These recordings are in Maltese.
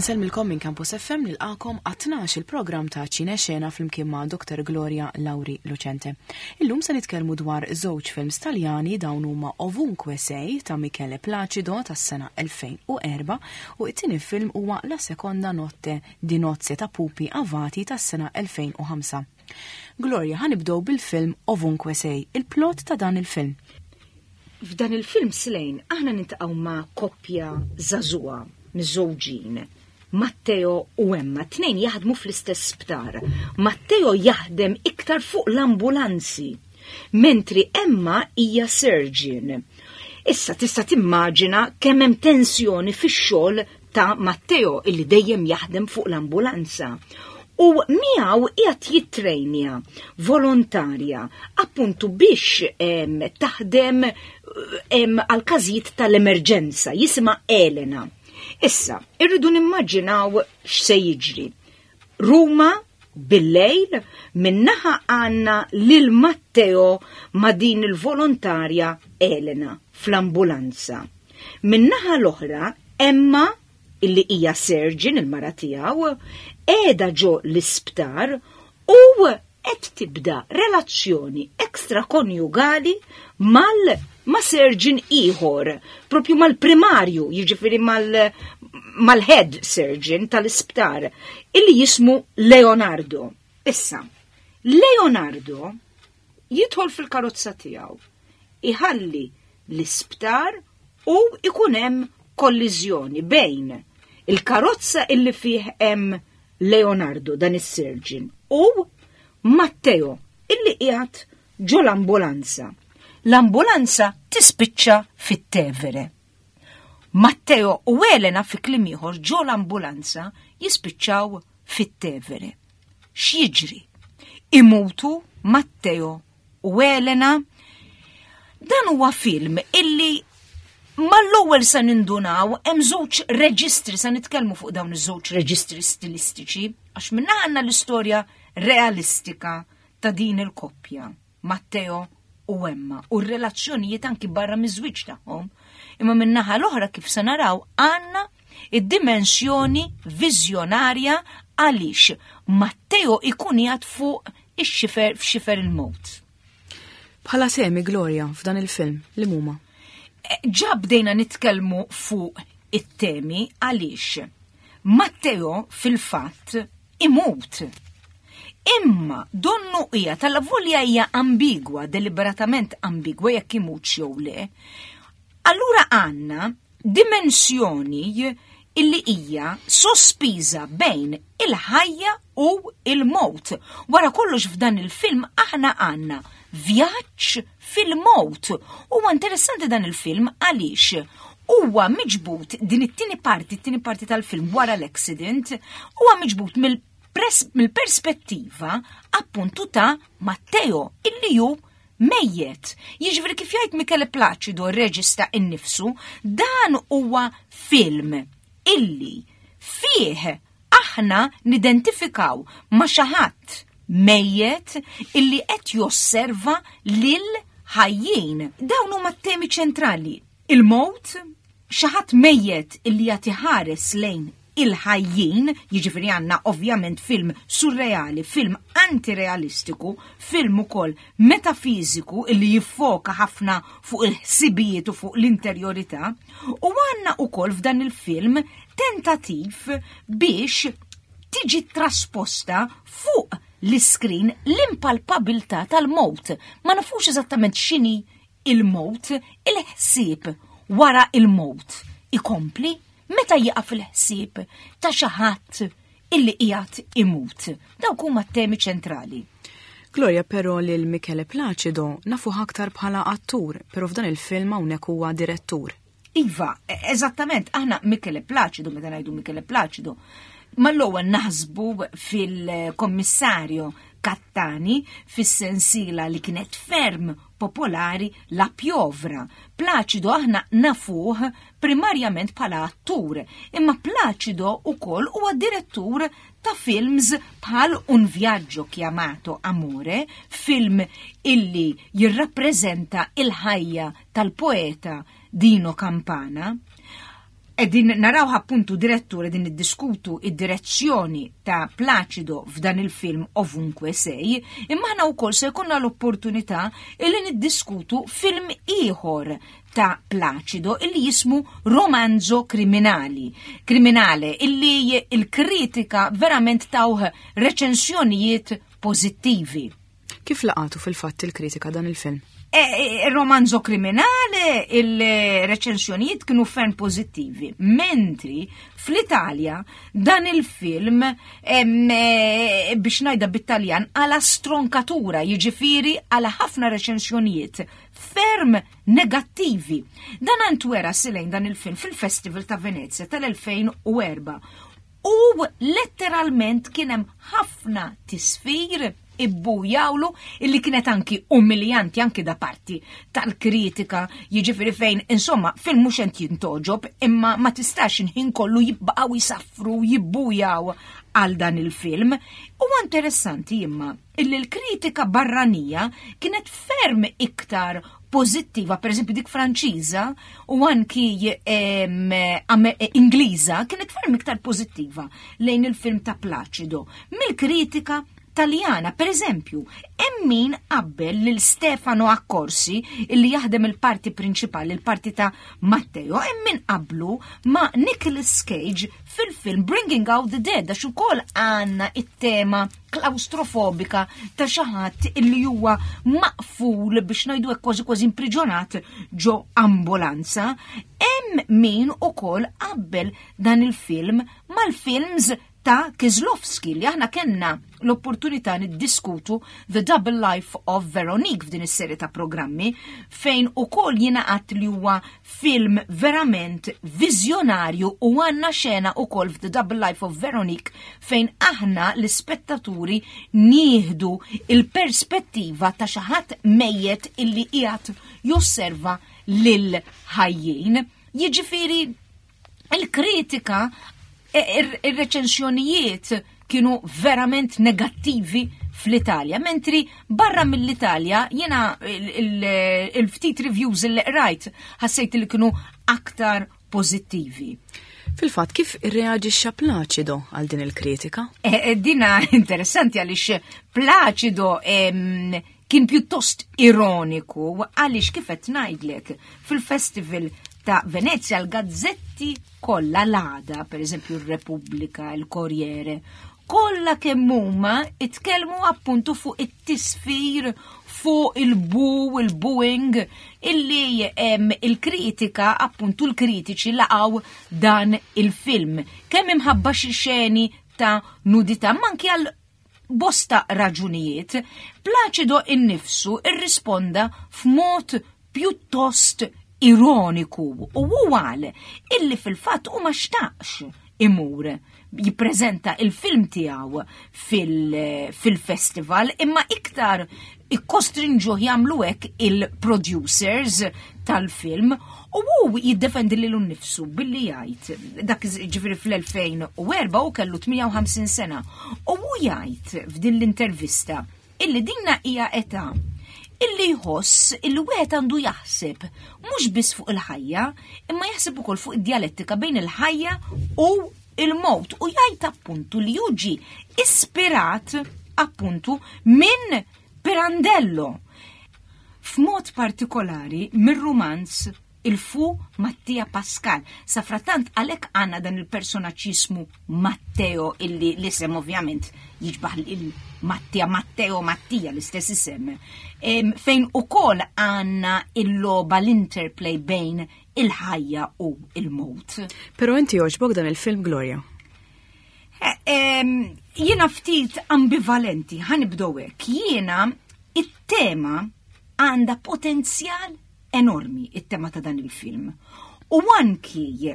Nsellmilkom minn Campus FM nilqakom għat-tnax il-programm ta' Ċine Xena flimkien ma' Dr. Gloria Lauri Lucente. Illum se nitkellmu dwar żewġ films Taljani dawn huma Ovunque Sei ta' Michele Placido tas-sena 2004 u it-tieni film huwa La Seconda Notte di Nozze ta' Pupi Avati tas-sena 2005. Gloria, ħanibdew bil-film Ovunque Sei, il-plot ta' dan il-film. F'dan il-film Slane aħna nintaqgħu ma' koppja żagħżugħa miżżewġin, Matteo u Emma, tnejn jaħdmu fl-istess sptar. Matteo jaħdem iktar fuq l-ambulanzi, mentri Emma hija surgeon. Issa tista' timmaġina kemm hemm tensjoni fix-xogħol ta' Matteo illi dejjem jaħdem fuq l-ambulanza. U miegħu qiegħed jittrejnja volontarja appuntu biex taħdem għal każijiet tal-emerġenza jisimha Elena. Issa, irridu nimmaġinaw x'se jiġri. Ruma bil-lejl minnaħa għanna lil Matteo ma' din il-volontarja Elena fl-ambulanza. Min-naħa l-oħra, Emma, illi hija surgeon il-mara tiegħu, qiegħda ġo l-isptar u qed tibda relazzjoni ekstrakonjugali mal ma' surgeon ieħor, propju mal-primarju, jiġifieri mal-head surgeon tal-isptar, illi jismu Leonardo. Issa, Leonardo jidħol fil-karozza tiegħu, iħalli l-isptar u ikun hemm kolliżjoni bejn il-karozza illi fih hemm Leonardo dan is-surgeon u Matteo illi qiegħed ġo l-ambulanza. L-ambulanza tispiċċa fit-Tevere. Matteo u Elena fi kliem ieħor ġo l-ambulanza jispiċċaw fit-Tevere. X'jiġri? Imutu Matteo u Elena. Dan huwa film illi mal-ewwel se nindunaw hemm żewġ reġistri se nitkellmu fuq dawn iż-żewġ reġistri stilistiċi għax minna għandna l-istorja realistika ta' din il-koppja Matteo u Emma u r-relazzjonijiet anki barra miż-żwieġ tagħhom. Imma min-naħa l-oħra kif se naraw għandna id-dimensjoni viżjonarja għaliex Matteo ikun jgħad fuq ix-xifer f'xifer il-mewt. Bħala semi Gloria f'dan il-film li huma? Eh, ġa bdejna nitkellmu fuq it-temi għaliex Matteo fil-fatt imut. Imma donnu hija tal-volja hija ambigwa, deliberatament ambigwa jekk imut jew le. Allura għandna dimensjoni illi hija sospiża bejn il-ħajja u il-mowt. Wara kollox f'dan il-film aħna għandna vjaġġ fil-mowt. Huwa interessanti dan il-film għaliex huwa miġbut din it-tieni parti, it-tieni parti tal-film wara l-accident, huwa miġbut mill-perspettiva appuntu ta' Matteo illi hu mejjet. Jiġifieri kif jgħid Michele Placido r-reġista innifsu, dan huwa film illi fih aħna nidentifikaw ma' xi ħadd mejjet illi qed josserva lil ħajjin. Dawn huma t-temi ċentrali. Il-mowt, xi ħadd mejjet illi jagħti ħares lejn il-ħajjin, jiġifieri għandna ovvjament film surreali, film antirealistiku, film ukoll metafiżiku illi jiffoka ħafna fuq il-ħsibijiet u fuq l-interjorità, u għandna ukoll f'dan il-film tentativ biex tiġi trasposta fuq l-iskrin l-impalpabilità tal-mowt. Ma nafux eżattament x'inhi il-mowt, il-ħsieb wara il-mowt ikompli meta jieqaf il-ħsieb ta' xi ħadd illi qiegħed imut. Dawk huma t-temi ċentrali. Gloria però lil Michele Placido nafuh aktar bħala attur, però f'dan il-film hawnhekk huwa direttur. Iva, e, eżattament, aħna Michele Placido, meta ngħidu Michele Placido, mal-ewwel naħsbu fil-kommissarju Kattani fis-sensiela li kienet ferm popolari La Piovra. Placido aħna nafuh primarjament bħala attur, imma Placido ukoll huwa direttur ta' films bħal Un viaggio chiamato Amore, film illi jirrappreżenta il-ħajja tal-poeta Dino Campana. Qegħdin naraw appuntu direttur qegħdin niddiskutu id-direzzjoni ta' Placido f'dan il-film Ovunque Sei, imma aħna wkoll se jkollna l-opportunità illi niddiskutu film ieħor ta' Placido illi jismu Romanzo Kriminali. Kriminale illi il-kritika verament tawh reċensjonijiet pożittivi. Kif laqatu fil-fatt il-kritika dan il-film? E, e, il-romanzo kriminale, il-reċensjonijiet kienu ferm pozittivi, mentri fl-Italja dan il-film e, biex najda bit-Taljan għala stronkatura, jiġifieri għala ħafna reċensjonijiet ferm negattivi. Dan antwera silejn dan il-film fil-Festival ta' Venezia tal-2004 U letteralment kien hemm ħafna tisfir ibbujawlu illi kienet anki umiljanti anki da parti tal-kritika, jiġifieri fejn insomma film mhux qed jintoġob imma ma tistax inħin kollu jibqgħu jisaffru jibbujaw għal dan il-film. Huwa interessanti imma illi l-kritika barranija kienet ferm iktar pożittiva, per eżempju dik Franċiża u anki Ingliża kienet ferm iktar pożittiva lejn il-film ta' Placido mill-kritika Taljana. Per eżempju, hemm min qabbel lil Stefano Accorsi illi jaħdem il-parti prinċipali, il-parti ta' Matteo, hemm min qablu ma' Nicolas Cage fil-film Bringing Out the Dead għax ukoll għandna it-tema klaustrofobika ta' xi ħadd illi huwa maqful biex ngħidu hekk kważi kważi impriġonat ġo ambulanza. Hemm min ukoll qabbel dan il-film mal-films ta' Kieslowski li aħna kellna l-opportunità niddiskutu The Double Life of Veronique f'din is-serje ta' programmi fejn ukoll jiena qatt li huwa film verament viżjonarju u għandna xena ukoll f'The Double Life of Veronique fejn aħna l-ispettaturi nieħdu il-perspettiva ta' xi ħadd mejjet illi qiegħed josserva lil ħajjin. Jiġifieri il-kritika, e, ir-reċensjonijiet kienu verament negattivi fl-Italja, mentri barra mill-Italja jiena il-ftit reviews li qrajt ħassejt li kienu aktar pożittivi. Fil-fatt, kif irreaġixxa Placido għal din il-kritika? E, e, dina interessanti għaliex Placido kien pjuttost ironiku għaliex kif qed ngħidlek fil-festival ta' Venezia l-gazzetti kollha l-għada, per eżempju r-Repubblika, il-Corriere, kollha kemm huma itkellmu appuntu fuq it-tisfir fuq il-bu, il-booing, illi il-kritika, appuntu l-kritiċi laqgħu dan il-film. Kemm imħabba xi xeni ta' nudità, manki għal bosta raġunijiet, Placido innifsu irrisponda f'mod pjuttost ironiku u hu qal illi fil-fatt hu ma xtaqx imur jippreżenta il-film tiegħu fil-festival imma iktar ikkostrinġuh jagħmlu hekk il-producers tal-film u hu jiddefendi lilu nnifsu billi jgħid dak ġifieri fl-2004 u kellu 58 sena u hu jgħid f'din l-intervista illi dinna hija età illi jħoss illi wieħed għandu jaħseb mhux biss fuq il-ħajja, imma jaħseb ukoll fuq id-djalettika bejn il-ħajja u il-mowt u jgħid appuntu li hu ġie ispirat appuntu minn Pirandello. F'mod partikolari mir-rumanz il-fu Mattia Pascal. Safrattant għalhekk għandna dan il-personaġġ jismu Matteo illi l-isem ovvjament jiġbaħ il-Mattia Matteo Mattia l-istess isem. Fejn ukoll għandna il-logħba l-interplay bejn il-ħajja u il-mowt. Però inti jogħġbok dan il-film Gloria? Eh, jiena ftit ambivalenti, ħanibdew hekk. Jiena it-tema għandha potenzjal enormi it-tema ta' dan il-film. U anki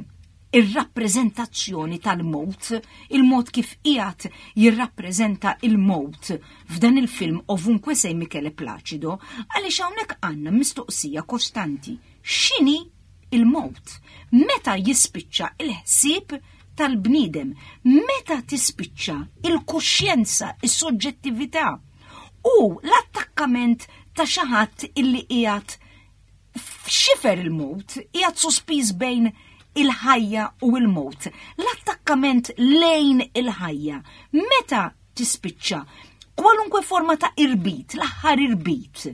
ir-rappreżentazzjoni tal-mowt, il-mod kif qiegħed jirrappreżenta il-mowt f'dan il-film Ovunque Sei Michele Placido, għaliex hawnhekk għandna mistoqsija kostanti. X'inhi il-mowt? Meta jispiċċa il-ħsieb tal-bniedem? Meta tispiċċa il-kuxjenza, is-soġġettività u l-attakkament ta' xi ħadd illi qiegħed f'xifer il-mowt, qiegħed sospiż bejn il-ħajja u l-mewt, l-attakkament lejn il-ħajja. Meta tispiċċa kwalunkwe forma ta' irbit, l-aħħar irbit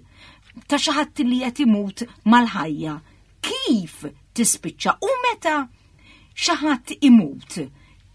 ta' xi ħadd li qed imut mal-ħajja, kif tispiċċa u meta xi ħadd imut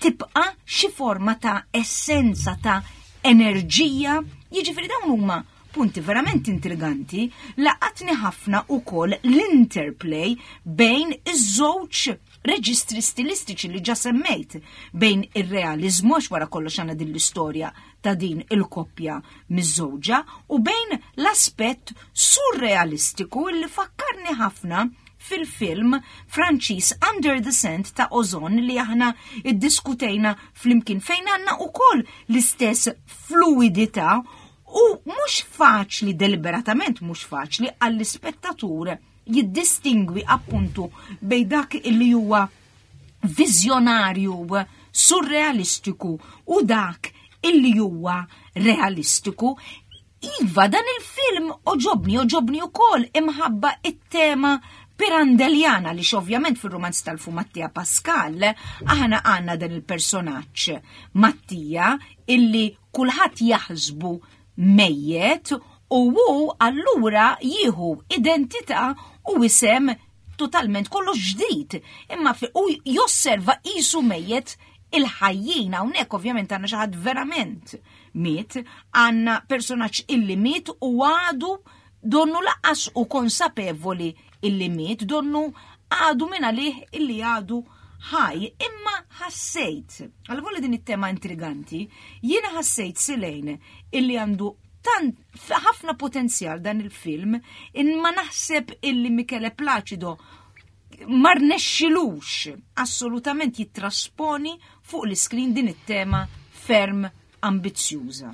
tibqa' xi forma ta' essenza ta' enerġija, jiġifieri dawn huma punti verament intriganti, laqatni ħafna ukoll l-interplay bejn iż-żewġ reġistri stilistiċi li ġa semmejt, bejn ir-realiżmu għax wara kollox għandna din l-istorja ta' din il-koppja miżżewġa u bejn l-aspett surrealistiku li fakkarni ħafna fil-film Franċiż Under the Sand ta' Ozon li aħna iddiskutejna flimkien fejn għandna ukoll l-istess fluidità u mhux faċli deliberatament mhux faċli għall-ispettatur jiddistingwi appuntu bejn dak li huwa viżjonarju surrealistiku u dak illi huwa realistiku. Iva, dan il-film oġobni, oġobni ukoll imħabba it-tema Pirandelliana li ovvjament fil-romanz tal-fu Mattia Pascal aħna għandna dan il-personaġġ Mattia illi kulħadd jaħsbu mejjet u hu allura jieħu identità u isem totalment kollox ġdid, imma u josserva qisu mejjet il-ħajjin hawnhekk ovvjament għandna xi ħadd verament miet, għandna personaġġ illi miet u għadu donnu laqas u konsapevoli illi miet, donnu għadu minn għalih illi għadu ħaj, imma ħassejt, għal din it-tema intriganti, jiena ħassejt Silejn illi għandu tant ħafna potenzjal dan il-film, imma naħseb illi Michele Placido ma rnexxilux assolutament jittrasponi fuq l-iskrin din it-tema ferm ambizzjuża.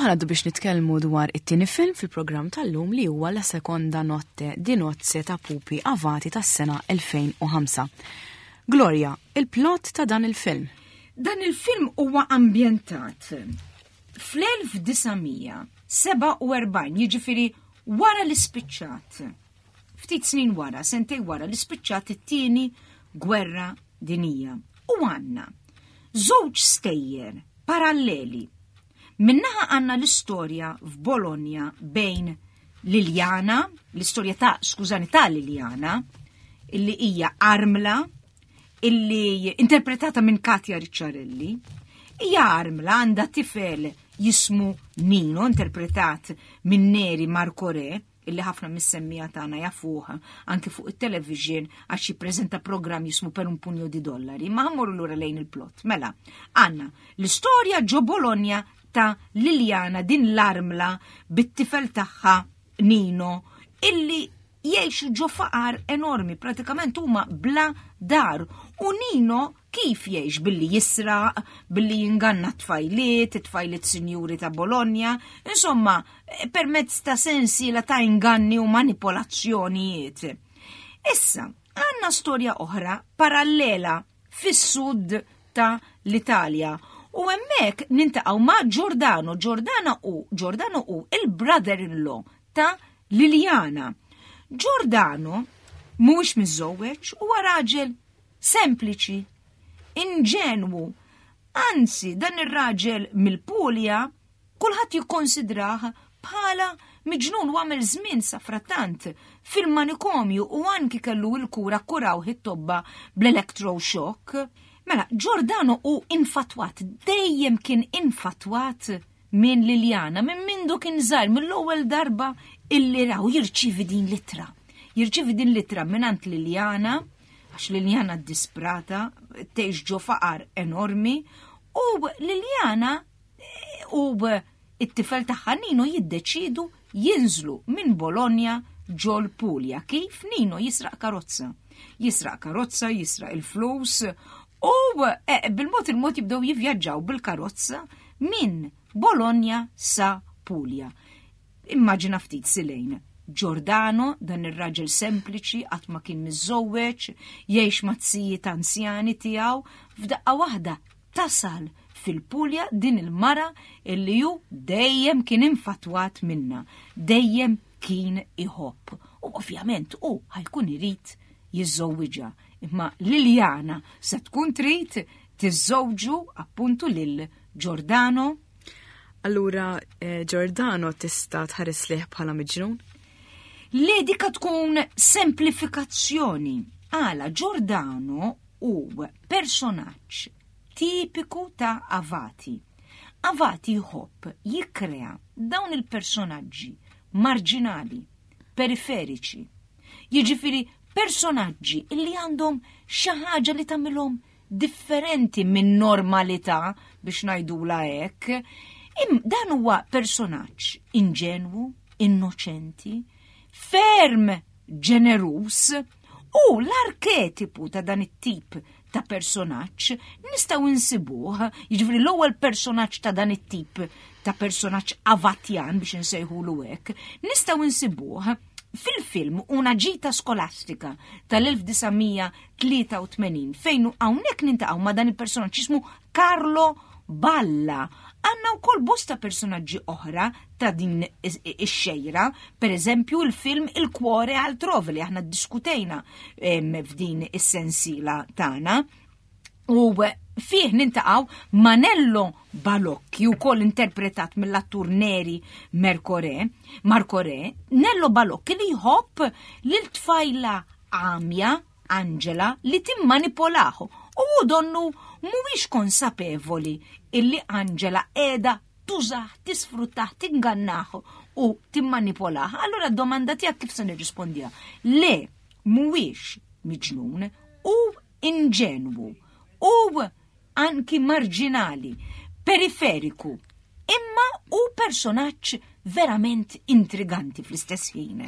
U ħa ngħaddu biex nitkellmu dwar it-tieni film fil-programm tal-lum li huwa La Seconda Notte di Nozze ta' Pupi Avati tas-sena 2005. Gloria, il-plot ta' dan il-film. Dan il-film huwa ambjentat fl-1947, jiġifieri wara li spiċċat. Ftit snin wara, sentej wara li spiċċat it-tieni gwerra dinija. U għandna żewġ stejjer paralleli. Min-naħa għandna l-istorja f'Bologna bejn Liliana, l-istorja ta', skużani, ta' Liliana, illi hija armla, illi interpretata minn Katja Ricciarelli, hija armla għandha tifel jismu Nino, interpretat minn Neri Marcorè, illi ħafna mis-semmiegħa tagħna jafuh anki fuq it-television għax jippreżenta programm jismu Per un pugno di dollari. Ma ħa mmorru lura lejn il-plot. Mela, għandna l-istorja ġo Bologna ta' Liliana din l-armla bit-tifel tagħha Nino illi jgħixu ġo faqar enormi, pratikament huma bla dar. U Nino kif jgħix billi jisraq, billi jinganna t-tfajliet, it-tfajliet sinjuri ta' Bologna, insomma, permezz ta' sensiela ta' inganni u manipolazzjonijiet. Issa, għandna storja oħra parallela fis-sud ta' l-Italja. U hemmhekk nintaqgħu ma' Giordano. Giordano u Giordano u il-brother-in-law ta' Liliana. Giordano mhuwiex miżżewweġ huwa raġel sempliċi, inġenwu. Anzi, dan ir-raġel mill-Pulja kulħadd jikkonsidrah bħala miġnun u għamel żmien safrattant fil-manikomju u anki kellu il-kura kuraw it-tobba bl-electroshock. Mela, Giordano hu infatwat, dejjem kien infatwat minn Liliana, minn mindu kien żgħir, mill-ewwel darba illi raw jirċievi din l-ittra. Jirċievi din l-ittra mingħand Liliana, għax Liliana disprata, tgħix ġo faqar enormi, u Liliana u it-tifel tagħha Nino jiddeċidu jinżlu minn Bologna ġol Puglia. Kif Nino jisraq karozza. Jisraq karozza, jisraq il-flus u bil-mod il-mod jibdew jivvjaġġaw bil-karozza minn Bologna sa Puglia. Immaġina ftit silejn. Giordano, dan ir-raġel sempliċi, qatt ma kien miżżewweġ, jgħix ma' tzijiet anzjani tiegħu, f'daqqa waħda tasal fil-Puglia din il-mara illi hu dejjem kien infatwat minna, dejjem kien iħobb. U ovvjament hu ħa jkun irid jiżżewwiġha, imma Liliana se tkun trid tiżżewġu appuntu lil Giordano. Allura Giordano tista' tħares lih bħala miġnun? Le, dika tkun semplifikazzjoni. Għala Giordano hu personaġġ tipiku ta' Avati. Avati jħobb jikkrea dawn il-personaġġi marġinali, periferiċi. Jiġifieri personaġġi illi għandhom xi ħaġa li tagħmilhom differenti minn normalità biex ngħidula hekk. Dan huwa personaġġ inġenwu, innoċenti, ferm ġenerus u l-arketipu ta' dan it-tip ta' personaġġ nistgħu insibuh, jiġifieri l-ewwel personaġġ ta' dan it-tip ta' personaġġ avatjan biex insejħulu hekk, nistgħu insibuh fil-film Una gita skolastika tal-1983 fejn hawnhekk nintaqgħu ma' dan il-personaġġ jismu Carlo Balla. Għandna wkoll bosta personaġġi oħra ta' din ix-xejra, per eżempju il-film Il Cuore Altrove li aħna ddiskutejna f'din is-sensiela tagħna. U fih nintaqgħu Manello Balocchi, wkoll interpretat mill-attur Neri Mercore, Marcore, Nello Balocchi li jħobb lil tfajla għamja Angela li timmanipolahu u hu donnu mhuwiex konsapevoli illi Angela qiegħda tużah, tisfruttah, tingannah u timmanipolah. Allura d-domanda tiegħek kif se nirrispondiha? Le, mhuwiex miġnun u inġenwu u anki marġinali, periferiku, imma u personaġġ verament intriganti fl-istess ħin.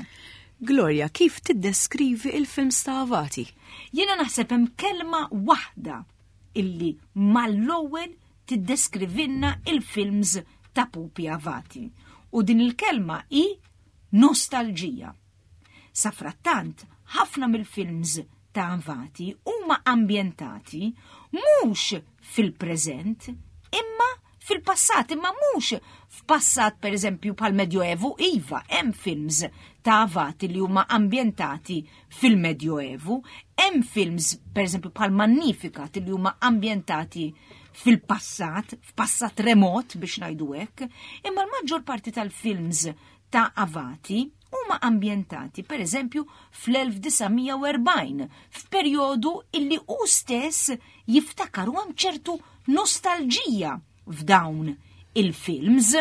Gloria, kif tiddeskrivi il-films ta' Avati? Jiena naħseb hemm kelma waħda illi mal-ewwel tiddeskrivilna il-films ta' Pupi Avati u din il-kelma hi nostalġija. Safrattant, ħafna mill-films ta' Avati huma ambjentati mhux fil-preżent imma fil-passat, imma mhux f'passat pereżempju bħal Medjoevu, iva, hemm films ta' Avati li huma ambjentati fil-Medjoevu, hemm films pereżempju bħal Magnificat li huma ambjentati fil-passat, f'passat remot biex ngħidu hekk, imma l-maġġor parti tal-films ta' Avati huma ambjentati pereżempju fl-1940, f'perjodu illi hu stess jiftakar u hemm ċertu nostalġija f'dawn il-films.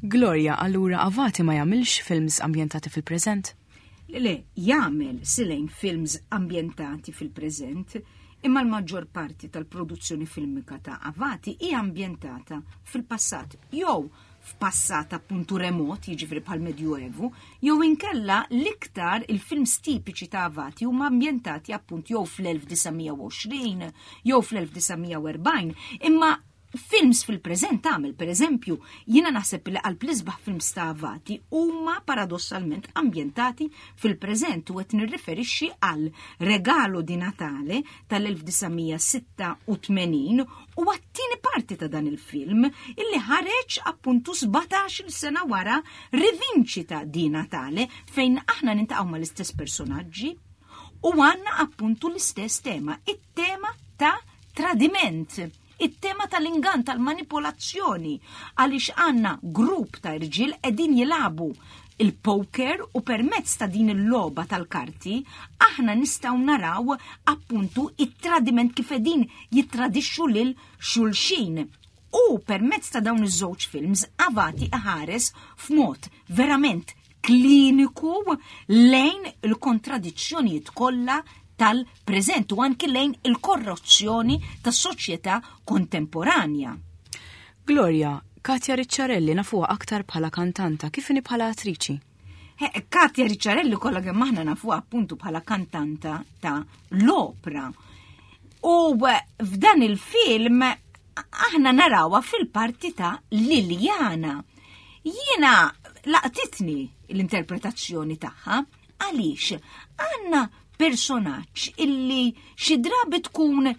Gloria, allura Avati ma jagħmilx films ambjentati fil-preżent? Le, le, jagħmel silejn films ambjentati fil-preżent, imma l-maġġor parti tal-produzzjoni filmika ta' Avati hija ambjentata fil-passat jew f'passat appuntu remot, jiġifieri bħal Medjuevu, jew inkella l-iktar il-films tipiċi ta' Avati huma ambjentati appunt jew fl-1920 jew fl-1940, imma films fil-preżent tagħmel, pereżempju, jiena naħseb li qalb l-isbaħ films ta' Avati huma paradossalment ambjentati fil-preżent u qed nirriferixxi għal Regalo di Natale tal-1986 u għat-tieni parti ta' dan il-film illi ħareġ appuntu 17-il sena wara Rivincita di Natale fejn aħna nintaqgħu mal-istess personaġġi u għandna appuntu l-istess tema, it-tema ta' tradiment, it-tema tal-ingann tal-manipolazzjoni għaliex għandna grupp ta' irġiel qegħdin jilagħbu il-poker u permezz ta' din il-logħba tal-karti aħna nistgħu naraw appuntu it-tradiment kif qegħdin jittradixxu lil xulxin. U permezz ta' dawn iż-żewġ films Avati iħares f'mod verament kliniku lejn il-kontradizzjonijiet kollha tal-preżent u anki lejn il-korruzzjoni tas-soċjetà kontemporanja. Gloria, Katia Ricciarelli nafuha aktar bħala kantanta, kif inhi bħala attriċi? Katia Ricciarelli kollha kemm aħna nafuha appuntu bħala kantanta ta' l-opra. U f'dan il-film aħna narawha fil-parti ta' Liliana. Jiena laqtitni l-interpretazzjoni tagħha għaliex għandna personaġġ illi xi drabi tkun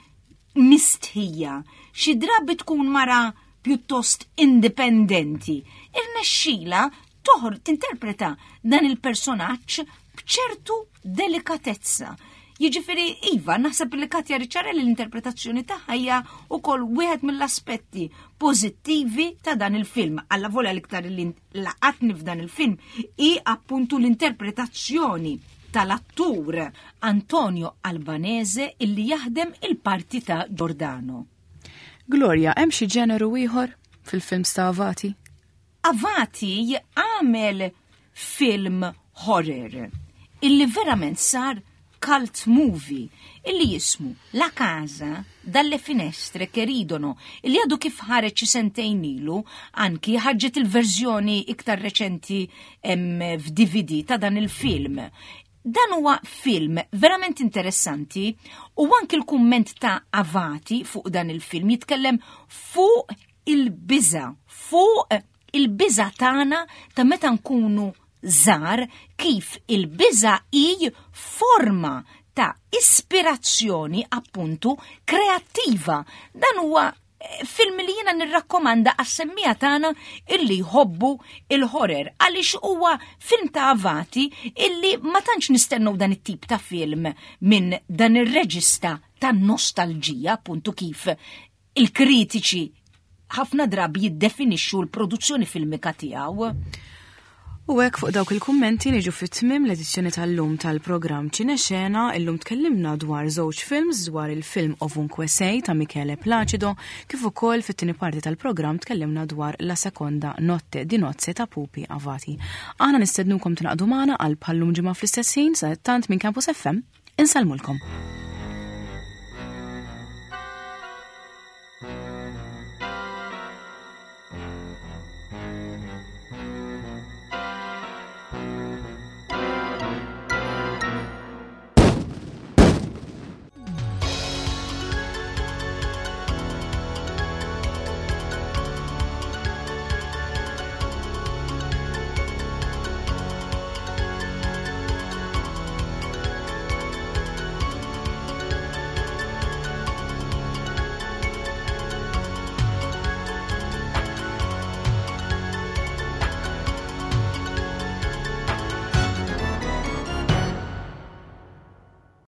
mistħija, xi drabi tkun mara pjuttost indipendenti. Irnexxila toħor tinterpreta dan il-personaġġ b'ċertu delikatezza. Jiġifieri iva, naħseb li Katja Ricciarelli l-interpretazzjoni tagħha hija wkoll wieħed mill-aspetti pożittivi ta' dan il-film. Alla volja l-iktar li laqatni f'dan il-film hi appuntu l-interpretazzjoni tal-attur Antonio Albanese illi jaħdem il-parti ta' Giordano. Gloria, hemm xi ġeneru ieħor fil-films ta' Avati? Avati għamel film horror illi verament sar cult movie illi jismu La Casa dalle Finestre che ridono illi għadu kif ħareġ xi sentejn ilu anki ħarġet il-verżjoni iktar reċenti f'DVD ta' dan il-film. Dan huwa film verament interessanti u anki l-kumment ta' Avati fuq dan il-film jitkellem fuq il-biża, fuq il-biża tagħna ta' meta nkunu żgħar kif il-biża hi forma ta' ispirazzjoni appuntu kreattiva. Dan huwa eh, film li jiena nirrakkomanda għas-semmija tagħna illi jħobbu il-horror għaliex huwa film ta' avati illi ma tantx nistennew dan it-tip ta' film minn dan ir-reġista ta' nostalġija appuntu kif il-kritiċi ħafna drabi jiddefinixxu l-produzzjoni filmika tiegħu. U hekk fuq dawk il-kummenti niġu fit-tmiem l-edizzjoni tal-lum tal-programm Ċinexena, illum tkellimna dwar żewġ films dwar il-film Ovunque Sei ta' Michele Placido, kif ukoll fit-tieni parti tal-programm tkellimna dwar La Seconda Notte di Nozze ta' Pupi Avati. Aħna nistednukom tingħaqdu magħna għal bħallum ġimgħa fl-istess ħin sa tant minn Campus FM insellmulkom.